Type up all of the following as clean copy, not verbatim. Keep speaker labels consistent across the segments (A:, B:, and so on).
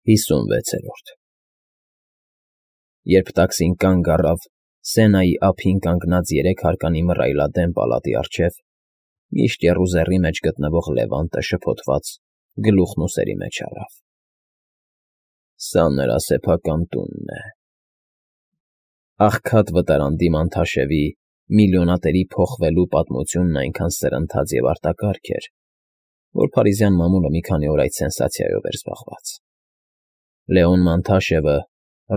A: 56-րդ Երբ տաքսին կանգ առավ Սենայի ափին կանգնած երեք հարկանի մռայլադեմ պալատի առջև, միշտ եռուզեռի մեջ գտնվող Լևանտը շփոթված գլուխն ուսերի մեջ առավ։ Սա նրա սեփական տունն է։ Աղքատ վտարանդի Մանթաշևի միլիոնատերի փոխվելու պատմությունն այնքան սրընթաց և արտակարգ էր, որ փարիզյան մամուլը մի քանի օր այդ սենսացիայով էր զբաղված։ Լեոն Մանթաշևը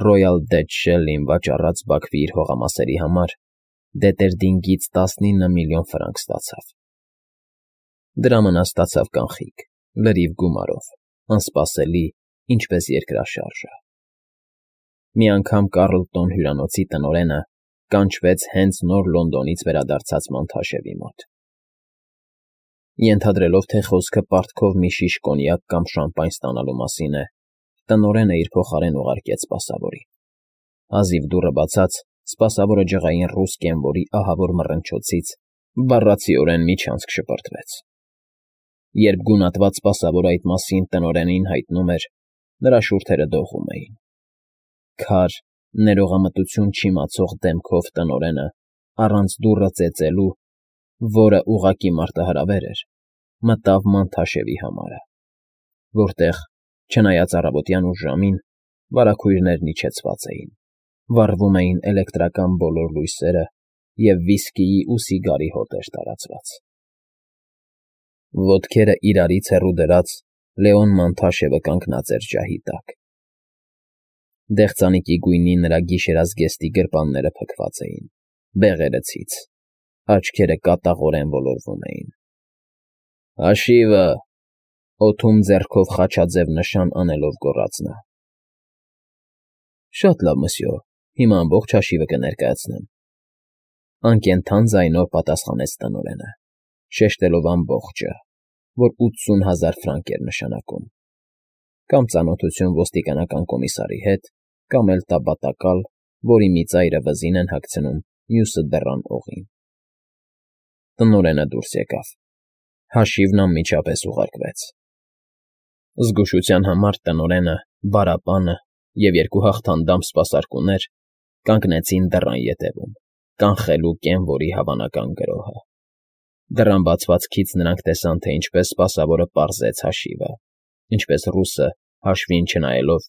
A: Royal Dutch Shell-ին վաճառած Բաքվի իր հողամասերի համար Դետերդինգից 19 միլիոն ֆրանկ ստացավ։ Դրամը նա ստացավ կանխիկ, լրիվ գումարով, անսպասելի, ինչպես երկրաշարժը։ Մի անգամ Կառլտոն հյուրանոցի տնօրենը կանչվեց հենց նոր Լոնդոնից վերադարձած Մանթաշևի մոտ։ Ենթադրելով, թե խոսքը պարտքով մի շիշ կոնյակ կամ շամպայն ստանալու մասին է, տնօրենը իր փոխարեն ուղարկեց սպասավորին։ Հազիվ դուռը բացած, սպասավորը ջղային ռուս կենվորի ահավոր մռնչոցից բառացիորեն միջանցք շպրտվեց։ Երբ գունատված սպասավորը այդ մասին տնօրենին հայտնում էր, նրա շուրթերը դողում էին։ Քար, ներողամտություն չիմացող դեմքով տնօրենը, առանց դուռը ծեծելու, որը ուղղակի մարտահրավեր էր, մտավ Մանթաշևի համարը, որտեղ, չնայած առավոտյան ուշ ժամին, վարագույրներն իջեցված էին, վառվում էին էլեկտրական բոլոր լույսերը և վիսկիի ու սիգարի հոտ էր տարածված։ Ոտքերը իրարից հեռու դրած Լեոն Մանթաշևը կանգնած էր ջահի տակ։ Դեղձանիկի գույնի նրա գիշերազգեստի գրպանները փքված էին, բեղերը ցից, աչքերը կատաղորեն ոլորվում էին։ «Հաշիվը», օդում ձեռքով խաչաձև նշան անելով գոռաց նա։ «Շատ լավ, մսյո, հիմա ամբողջ հաշիվը կներկայացնեմ», անկենդան ձայնով պատասխանեց տնօրենը, շեշտելով ամբողջը, որ 80,000 ֆրանկ էր նշանակում, կամ ծանոթություն ոստիկանական կոմիսարի հետ, կամ էլ տաբատակալ, որի մի ծայրը վզին են հագցնում, մյուսը դռան օղին։ Տնօրենը դուրս եկավ։ Հաշիվն անմիջապես ուղարկվեց։ Զգուշության համար տնօրենը, բարապանը և երկու հաղթանդամ սպասարկուներ կանգնեցին դռան ետևում, կանխելու կենվորի հավանական գրոհը։ Դռան բացվածքից նրանք տեսան, թե ինչպես սպասավորը պարզեց հաշիվը, ինչպես ռուսը, հաշվին չնայելով,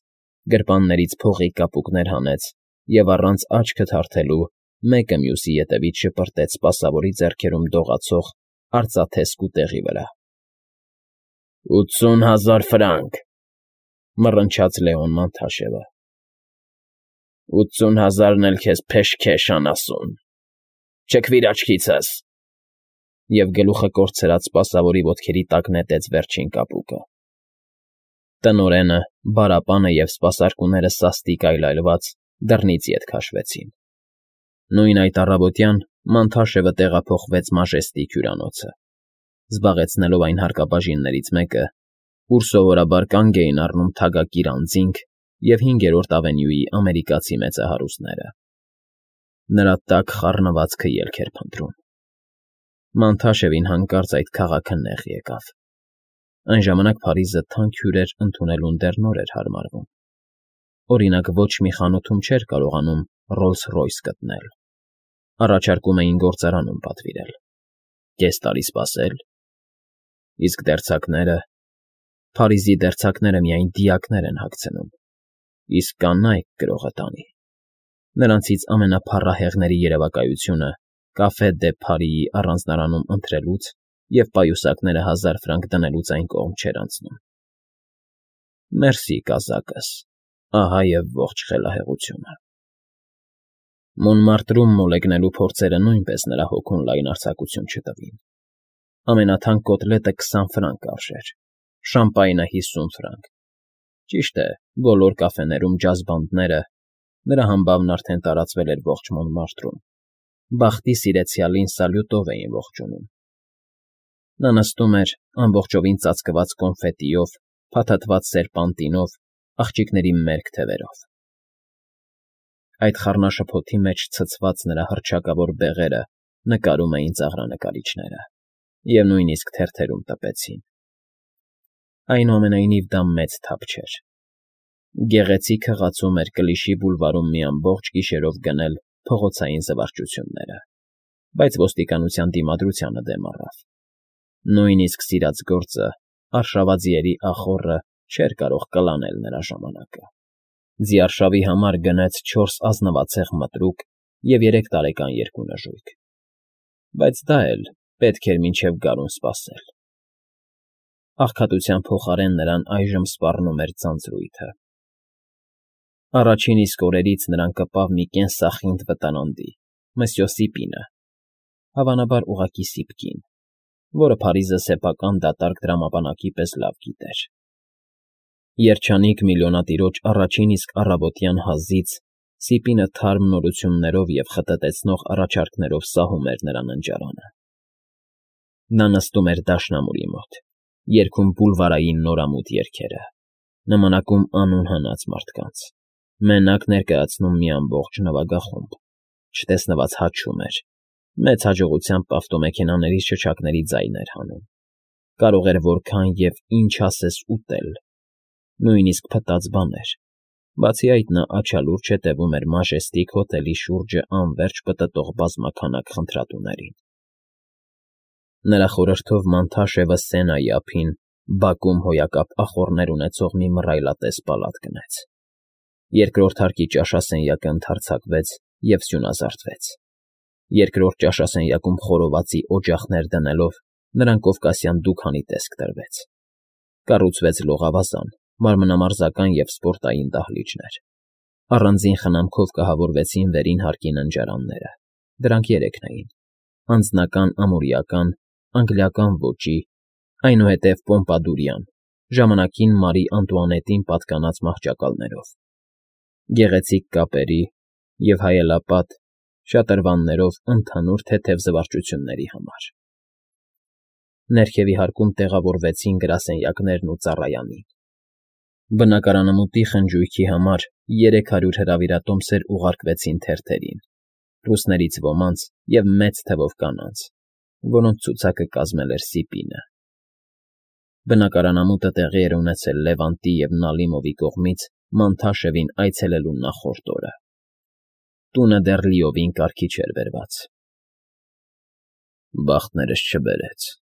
A: գրպաններից փողի կապուկներ հանեց և առանց աչքը թարթելու մեկը մյուսի ետևից շպրտեց սպասավորի ձեռքերում դողացող արծաթե սկուտեղի վրա։ 80,000 ֆրանկ, մռնչաց Լեոն Մանթաշևը։ 80,000-ն էլ քեզ փեշքեշ անասուն, չքվիր աչքիցս, և գլուխը կորցրած սպասավորի ոտքերի տակ նետեց վերջին կապուկը։ Տնօրենը, բարապանը և սպասարկուները սաստիկ այլայլված դռնից ետ քաշվեցին։ Նույն այդ առավոտյան Մանթաշևը տեղափոխվեց Մաժեստիկ հյուրանոցը, զբաղեցնելով այն հարկաբաժիններից մեկը, ուր սովորաբար կանգ էին առնում թագակիր անձինք և 5-րդ ավենյուի ամերիկացի մեծահարուստները։ Նրա տաք խառնվածքը ելք էր փնտրում։ Մանթաշևին հանկարծ այդ քաղաքը նեղ եկավ։ Այն ժամանակ Փարիզը թանկ հյուրեր ընդունելուն դեռ նոր էր հարմարվում։ Օրինակ, ոչ մի խանութում չէր կարողանում Ռոլս-Ռոյս գտնել։ Առաջարկում էին գործարանում պատվիրել։ Կես տարի սպասել։ Իսկ դերձակները… Փարիզի դերձակները միայն դիակներ են հագցնում, իսկ կանայք գրողը տանի։ Նրանցից ամենափառահեղների երևակայությունը Կաֆե դե Փարիի առանձնարանում ընթրելուց և պայուսակները 1000 ֆրանկ դնելուց այն կողմ չէր անցնում։ Մերսի, կազակս, ահա և ողջ խելահեղությունը։ Մոնմարտրում մոլեգնելու փորձերը նույնպես նրա հոգուն լայն արձակություն չտվին։ Ամենաթանկ կոտլետը 20 ֆրանկ արժեր, շամպայնը 50 ֆրանկ։ Ճիշտ է, բոլոր կաֆեներում ջազ֊բանդները (նրա համբավն արդեն տարածվել էր ողջ Մոնմարտրում) բախտի սիրեցյալին սալյուտով էին ողջունում։ Նա նստում էր, ամբողջովին ծածկված կոնֆետիով, փաթաթված սերպանտինով, աղջիկների մերկ թևերով։ Այդ խառնաշփոթի մեջ ցցված նրա հռչակավոր բեղերը նկարում էին ծաղրանկարիչները և նույնիսկ թերթերում տպեցին։ Այնուամենայնիվ դա մեծ թափ չէր։ Գեղեցիկ հղացում էր Կլիշի բուլվարում մի ամբողջ գիշերով գնել փողոցային զվարճությունները, բայց ոստիկանության դիմադրությանը դեմ առավ. նույնիսկ սիրած գործը, արշավաձիերի ախոռը չէր կարող կլանել նրա ժամանակը։ Ձիարշավի համար գնեց 4 ազնվացեղ մտրուկ և 3 տարեկան 2 նժույգ, բայց դա էլ պետք էր մինչև գարուն սպասել։ Աղքատության փոխարեն նրան այժմ սպառնում էր ձանձրույթը։ Առաջին իսկ օրերից նրան կպավ մի կենսախինդ վտարանդի, Մսյո Սիպինը, հավանաբար ուղղակի Սիպկին, որը Փարիզը սեփական դատարկ տրամաբանակի պես լավ գիտեր։ Երջանիկ միլիոնատիրոջ առաջին իսկ առավոտյան հազիծ Սիպինը թարմ նորություններով և խտտեցնող առաջարկներով սահում էր նրա ննջարանը։ Նա նստում էր դաշնամուրի մոտ, երգում բուլվարային նորամուտ երգերը, նմանակում անուն հնաց մարդկանց, մենակ ներկայացնում մի ամբողջ նվագախումբ, չտեսնված հաչում էր, մեծ հաջողությամբ ավտոմեքենաների շչակների ձայն էր հանում, կարող էր որքան և ինչ ասես ուտել, նույնիսկ փտած բաներ, բացի այդ նա աչալուրջ հետևում էր Մաժեստիկ հոթելի շուրջը անվերջ պտտող բազմաքանակ խնդրատուներին։ Նրա խորհրդով Մանթաշևը Սենայի ափին բակում հոյակապ ախոռներ ունեցող մի մռայլատես պալատ գնեց։ Երկրորդ հարկի ճաշասենյակը ընդարձակվեց և սյունազարդվեց։ Երկրորդ ճաշասենյակում խորովածի օջախներ դնելով նրան կովկասյան դուքանի տեսք տրվեց։ Կառուցվեց լողավազան, մանրամասնական և սպորտային դահլիճներ։ Առանձին խնամքով կահավորվեցին վերին հարկի ննջարանները, դրանք 3 էին. անձնական ամուրիական, անգլիական ոճի, այնուհետև պոմպադուրյան, ժամանակին Մարի Անտուանետին պատկանած մահճակալներով, գեղեցիկ կապերի և հայելապատ շատրվաններով ընդհանուր թեթև զվարճությունների համար։ Ներքևի հարկում տեղավորվեցին գրասենյակներն ու ծառայանին։ Բնակարանամուտի խնջույքի համար 300 հրավիրատոմսեր ուղարկվեցին թերթերին, ռուսներից ոմանց և մեծ թվով կանանց, որոնց ցուցակը կազմել էր Սիպինը։ Բնակարանամուտը տեղի էր ունեցել Լևանտի և Նալիմովի կողմից Մանթաշևին այցելելու նախորդ օրը։ Տունը դեռ լիովին կարգի չէր բերված։ «Բախտներս չբերեց,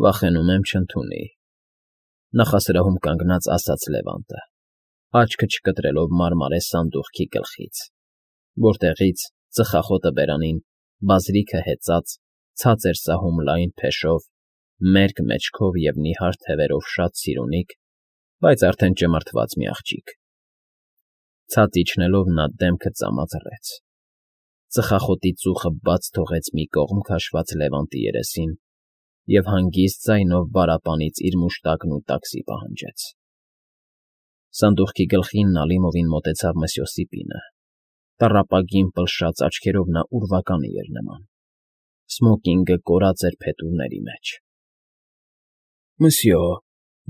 A: վախենում եմ չընդունի», նախասրահում կանգնած ասաց Լևանտը, աչքը չկտրելով մարմարե սանդուղքի գլխից, որտեղից, ծխախոտը բերանին, բազրիքը հեծած, ցած էր սահում լայն փեշով, մերկ մեջքով և նիհար թևերով շատ սիրունիկ, բայց արդեն ճմրթված մի աղջիկ։ Ցած իջնելով նա դեմքը ծամածռեց։ Ծխախոտի ծուխը բաց թողեց մի կողմ քաշված Լևանտի երեսին և հանգիստ ձայնով բարապանից իր մուշտակն ու տաքսի պահանջեց։ Սանդուղքի գլխին Նալիմովին մոտեցավ Մսյո Սիպինը։ Տառապագին պլշած աչքերով նա ուրվականի էր նման։ Սմոկինգը կորած էր փետուրների մեջ։ «Մսյո,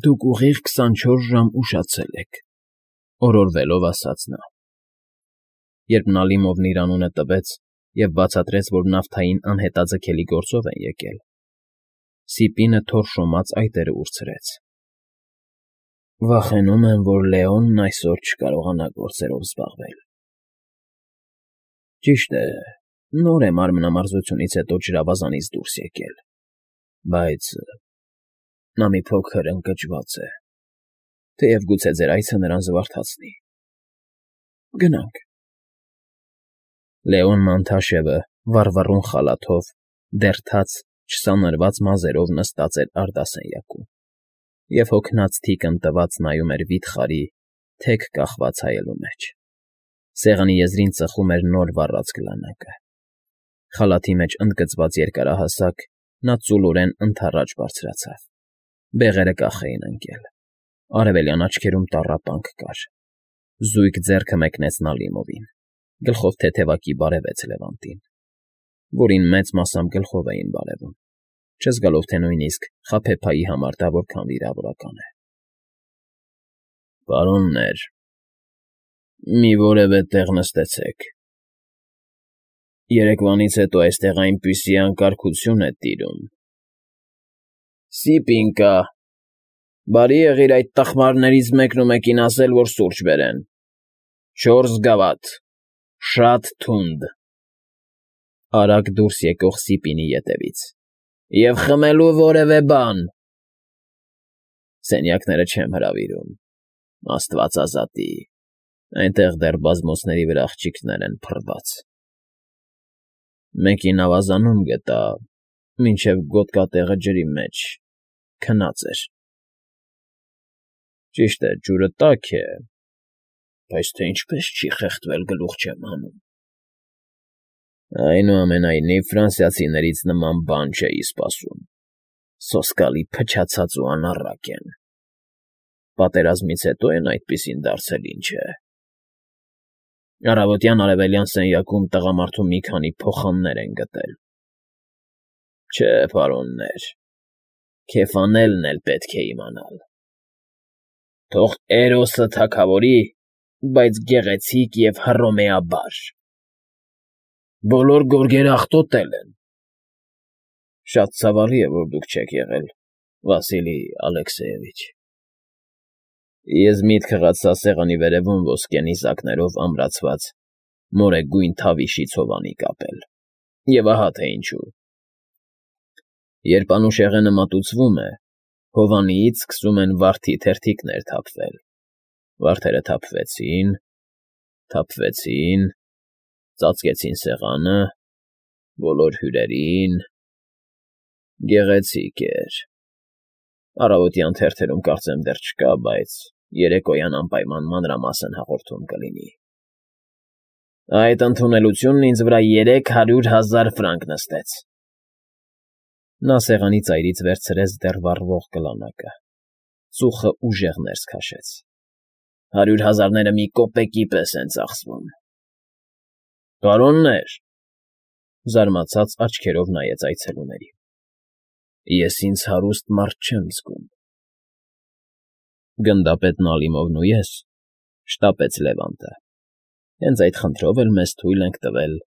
A: դուք ուղիղ 24 ժամ ուշացել եք», օրորվելով ասաց նա։ Երբ Նալիմովն իր անունը տվեց և բացատրեց, որ նավթային անհետաձգելի գործով են եկել, Սիպինը թորշոմած այտերը ուրցրեց։ «Վախենում եմ, որ Լեոնն այսօր չկարողանա գործերով զբաղվել։ Ճիշտ է, նոր է մարմնամարզությունից հետո ջրավազանից դուրս եկել, բայց նա մի փոքր ընկճված է, թեև գուցե ձեր այցը նրան զվարթացնի։ Գնանք»։ Լեոն Մանթաշևը վառվռուն խալաթով, դեռ թաց, չսանրված մազերով նստած էր արդասենյակում և հոգնած թիկն տված նայում էր վիթխարի, թեք կախված հայելու մեջ։ Սեղանի եզրին ծխում էր նոր վառած գլանակը։ Խալաթի մեջ ընդգծված երկարահասակ, նա ծուլորեն ընդառաջ բարձրացավ։ Բեղերը կախ էին ընկել։ Արևելյան աչքերում տառապանք կար։ Զույգ ձեռքը մեկնեց Նալիմովին, գլխով թեթևակի բարևեց Լևանտին, որին մեծ մասամբ գլխով էին բարևում, չզգալով, թե նույնիսկ խաբեբայի համար դա որքան վիրավորական է։ «Պարոններ, մի որևէ տեղ նստեցեք։ Երեկվանից հետո այստեղ այնպիսի անկարգություն է տիրում»։ «Սիպին կա», Բարի եղիր այդ տխմարներից մեկն ու մեկին ասել, որ սուրճ բերեն։ 4 գավաթ, շատ թունդ։ Արագ դուրս եկող Սիպինի ետևից։ Եվ խմելու որևէ բան։ Սենյակները չեմ հրավիրում, Աստված ազատի, այնտեղ դեռ բազմոցների վրա աղջիկներ են փռված։ Մեկին ավազանում գտա, մինչև գոտկատեղը ջրի մեջ քնած էր։ Ճիշտ է, ջուրը տաք է, բայց թե ինչպես չի խեղդվել, գլուխ չեմ հանում։ Այնուամենայնիվ, ֆրանսիացիներից նման բան չէի սպասում, սոսկալի փչացած ու անառակ են։ Պատերազմից հետո են այդպիսին դարձել, ինչ է։ Առավոտյան արևելյան սենյակում տղամարդու մի քանի փոխաններ են գտել։ Չէ, պարոններ, քեֆանելն էլ պետք է իմանալ։ Թող Էրոսը թագավորի, բայց գեղեցիկ և հռոմեաբար։ Բոլոր գորգերը աղտոտել են։ Շատ ցավալի է, որ դուք չեք եղել, Վասիլի Ալեքսեևիչ։ Ես միտքը գացա սեղանի վերևում ոսկե նիզակներով ամրացված մորեգույն թավիշի ցովանի կապել։ Եվ ահա թե ինչու։ Երբ անուշեղենը մատուցվում է, հովանիից սկսում են վարդի թերթիկներ թափվել։ Վարդերը թափվեցին, ծածկեցին սեղանը, բոլոր հյուրերին։ Գեղեցիկ էր։ Առավոտյան թերթերում կարծեմ դեռ չկա, բայց երեկոյան անպայման մանրամասն հաղորդում կլինի։ Այդ ընդունելությունն ինձ վրա 300,000 ֆրանկ նստեց։ Նա սեղանի ծայրից վերցրեց դեռ վառվող կլանակը, ծուխը ուժեղ ներս քաշեց։ 100,000-ները մի կոպեկի պես են ծախսվում։ Պարոններ, զարմացած աչքերով նայեց այցելուներին։ Ես ինձ հարուստ մարդ չեմ զգում։ Գնդապետ Նալիմովն ու ես, շտապեց Լևանտը, հենց այդ խնդրով էլ մեզ թույլ ենք տվել։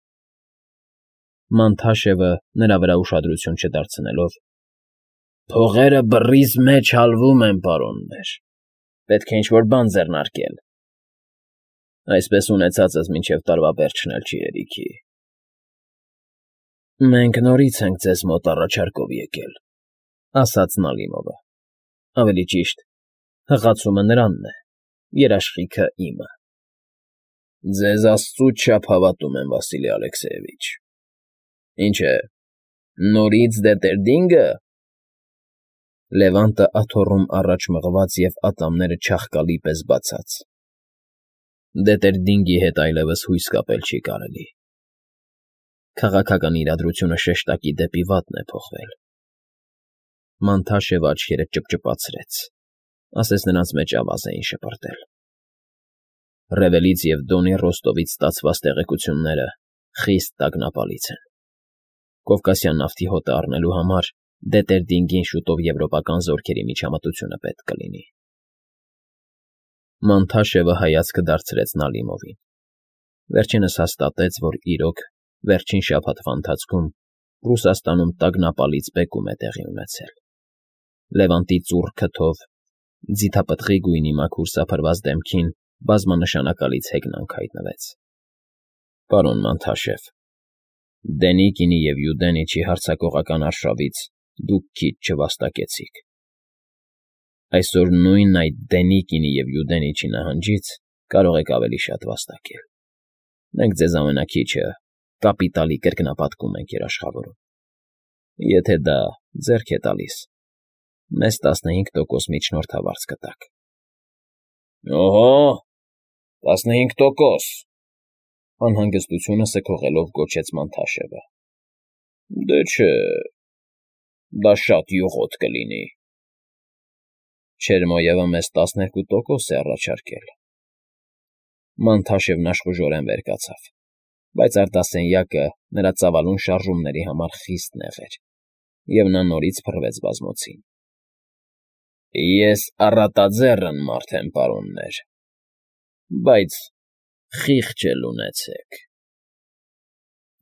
A: Մանթաշևը նրա վրա ուշադրություն չդարձնելով. Փողերը բռիս մեջ հալվում են, պարոններ, պետք է ինչ-որ բան ձեռնարկել։ Այսպես ունեցածս մինչև տարվա վերջն էլ չի հերիքի։ Մենք նորից ենք ձեզ մոտ առաջարկով եկել, ասաց Նալիմովը։ Ավելի ճիշտ, հղացումը նրանն է, երաշխիքը իմը։ Ձեզ աստծուց չափ հավատում եմ, Վասիլի Ալեքսեևիչ։ Ինչ է, նորից Դետերդինգը։ Լևանտը աթոռում առաջ մղված և ատամները չաղկալի պես բացած։ Դետերդինգի հետ այլևս հույս կապել չի կարելի։ Քաղաքական իրադրությունը շեշտակի դեպի վատն է փոխվել։ Մանթաշևը աչքերը ճպճպացրեց, ասես նրանց մեջ ավազ էին շպրտել։ Ռևելից և Դոնի Ռոստովից ստացված տեղեկությունները խիստ տագնապալից են։ Կովկասյան նավթի հոտը առնելու համար Դետերդինգին շուտով եվրոպական զորքերի միջամտությունը պետք կլինի։ Մանթաշևը հայացքը դարձրեց Նալիմովին։ Վերջինս հաստատեց, որ իրոք վերջին շաբաթվա ընթացքում Ռուսաստանում տագնապալից բեկում է տեղի ունեցել։ Լևանտի ծուռ քթով, ձիթապտղի գույնի մաքուր սափրված դեմքին բազմանշանակալից հեգնանք հայտնվեց։ Պարոն Մանթաշև, Դենիկինի և Յուդենիչի հարձակողական արշավից դուք քիչ չվաստակեցիք։ Այսօր նույն այդ Դենիկինի և Յուդենիչի նահանջից կարող եք ավելի շատ վաստակել։ Մենք ձեզ ամենաքիչը կապիտալի կրկնապատկում ենք երաշխավորում։ Եթե դա ձեռք է տալիս, մեզ 15% միջնորդավարձ կտաք։ Օհո, 15%, անհանգստությունը սքողելով գոչեց Մանթաշևը։ Դե չէ, դա շատ յուղոտ կլինի։ Չերմոյևը մեզ 12% է առաջարկել։ Մանթաշևն աշխուժորեն վեր կացավ, բայց արտասենյակը նրա ծավալուն շարժումների համար խիստ նեղ էր, և նա նորից փռվեց բազմոցին։ Ես առատաձեռն մարդ եմ, պարոններ, բայց խիղճ էլ ունեցեք։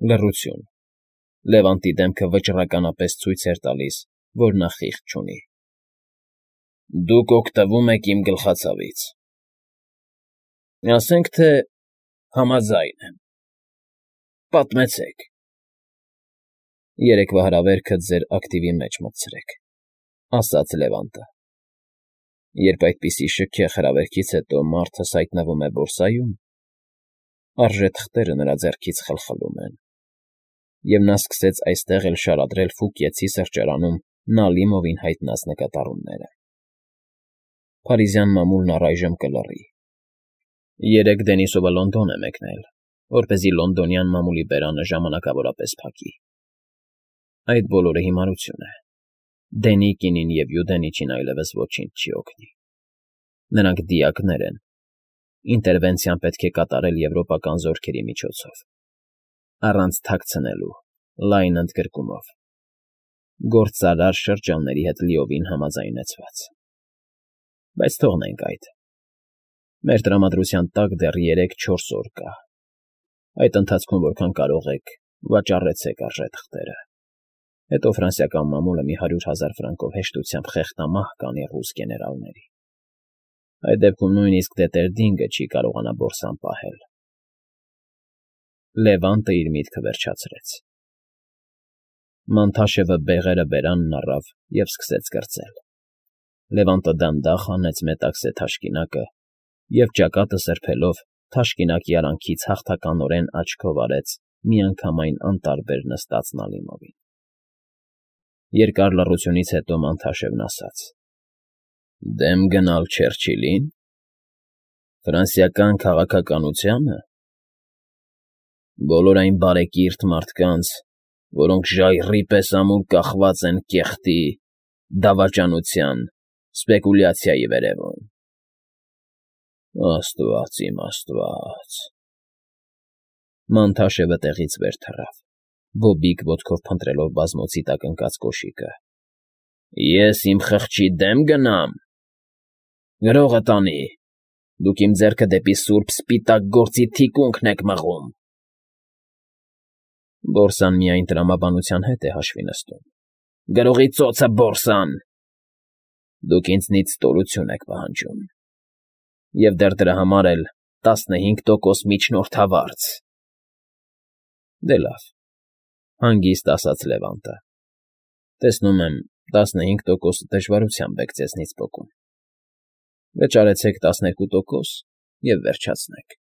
A: Լռություն։ Լևանտի դեմքը վճռականապես ցույց էր տալիս, որ նա խիղճ չունի։ Դուք օգտվում եք իմ գլխացավից։ Ասենք թե համաձայն եմ։ Պատմեցեք։ Երեկվա հրավերքը ձեր ակտիվի մեջ մտցրեք, ասաց Լևանտը։ Երբ այդպիսի շքեղ հրավերքից հետո մարդս հայտնվում է բորսայում, արժե թղթերը նրա ձեռքից խլխլում են, և նա սկսեց այստեղ էլ շարադրել Ֆուկիեցի սրճարանում Նալիմովին հայտնած նկատառումները։ Փարիզյան մամուլն առայժմ կլռի։ Երեկ Դենիսովը Լոնդոն է մեկնել, որպեսզի լոնդոնյան մամուլի բերանը ժամանակավորապես փակի։ Այդ բոլորը հիմարություն է։ Դենիկինին և Յուդենիչին այլևս ոչինչ չի օգնի։ Նրանք դիակներ են։ Ինտերվենցիան պետք է կատարել եվրոպական զորքերի միջոցով, առանց թաքցնելու, լայն ընդգրկումով, գործարար շրջանների հետ լիովին համաձայնեցված։ Բայց թողնենք այդ։ Մեր տրամադրության տակ դեռ 3-4 օր կա։ Այդ ընթացքում որքան կարող եք, վաճառեցեք արժեթղթերը։ Հետո ֆրանսիական մամուլը մի 100,000 ֆրանկով հեշտությամբ խեղդամահ կանի ռուս գեներալների։ Այդ դեպքում նույնիսկ Դետերդինգը չի կարողանա բորսան պահել։ Լևանտը իր միտքը վերջացրեց։ Մանթաշևը բեղերը բերանն առավ և սկսեց կրծել։ Լևանտը դանդաղ հանեց մետաքսե թաշկինակը և ճակատը սրբելով թաշկինակի արանքից հաղթականորեն աչքով արեց միանգամայն անտարբեր նստած Նալիմովին։ Երկար լռությունից հետո Մանթաշևն ասաց. «Դեմ գնալ Չերչիլին։ Ֆրանսիական քաղաքականությա՞նը։ Բոլոր այն բարեկիրթ մարդկանց, որոնք ժայռի պես ամուր կախված են կեղտի, դավաճանության, սպեկուլյացիայի վերևում։ Աստված իմ Աստված»։ Մանթաշևը տեղից վեր թռավ, բոբիկ ոտքով փնտրելով բազմոցի տակ ընկած կոշիկը։ «Ես իմ խղճի դեմ գնամ։ Գրողը տանի։ Դուք իմ ձեռքը դեպի սուրբ սպիտակ գործի թիկունքն եք մղում»։ Բորսան միայն տրամաբանության հետ է հաշվի նստում։ Գրողի ծոցը բորսան։ Դուք ինձնից ստորություն եք պահանջում։ Եվ դեռ դրա համար էլ 15% միջնորդավարձ։ Դե լավ, հանգիստ ասաց Լևանտը։ Տեսնում եմ, 15%-ը դժվարությամբ եք ձեզնից պոկում։ Վճարեցեք 12% և վերջացնենք։